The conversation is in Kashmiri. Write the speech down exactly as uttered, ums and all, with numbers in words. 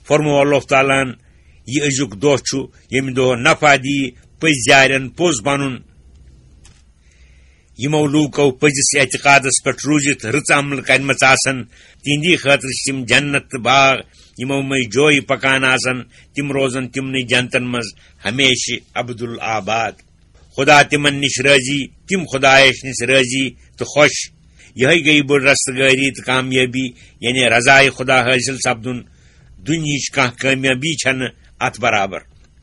فرموو اللہ تعالیٰ ہن، یہِ أزیُک دۄہ چھُ، ییٚمہِ دۄہ نفع دی پٔزۍ یارٮ۪ن پوٚز پنُن۔ یِمو لوٗکو پٔزِس اعتقادس پٮ۪ٹھ روٗزِتھ رٕژ عمل کرِمژ آسن، تِہنٛدی خٲطرٕ چھِ تِم جنت تہٕ باغ، یِمو منٛز جویہِ پکان آسن، تِم روزن تِمنٕے جنتن منٛز ہمیشہِ ابدالآباد۔ خدا تِمن نِش رٲضی، تِم خدایس نِش رٲضی تہٕ خۄش۔ یِہے گٔیہِ بٔڑ رستگٲری تہٕ کامیٲبی، یعنی رضایہِ خدا حٲصِل سپدُن، دُنیہٕچ کانٛہہ کامیٲبی چھنہٕ اتھ برابر۔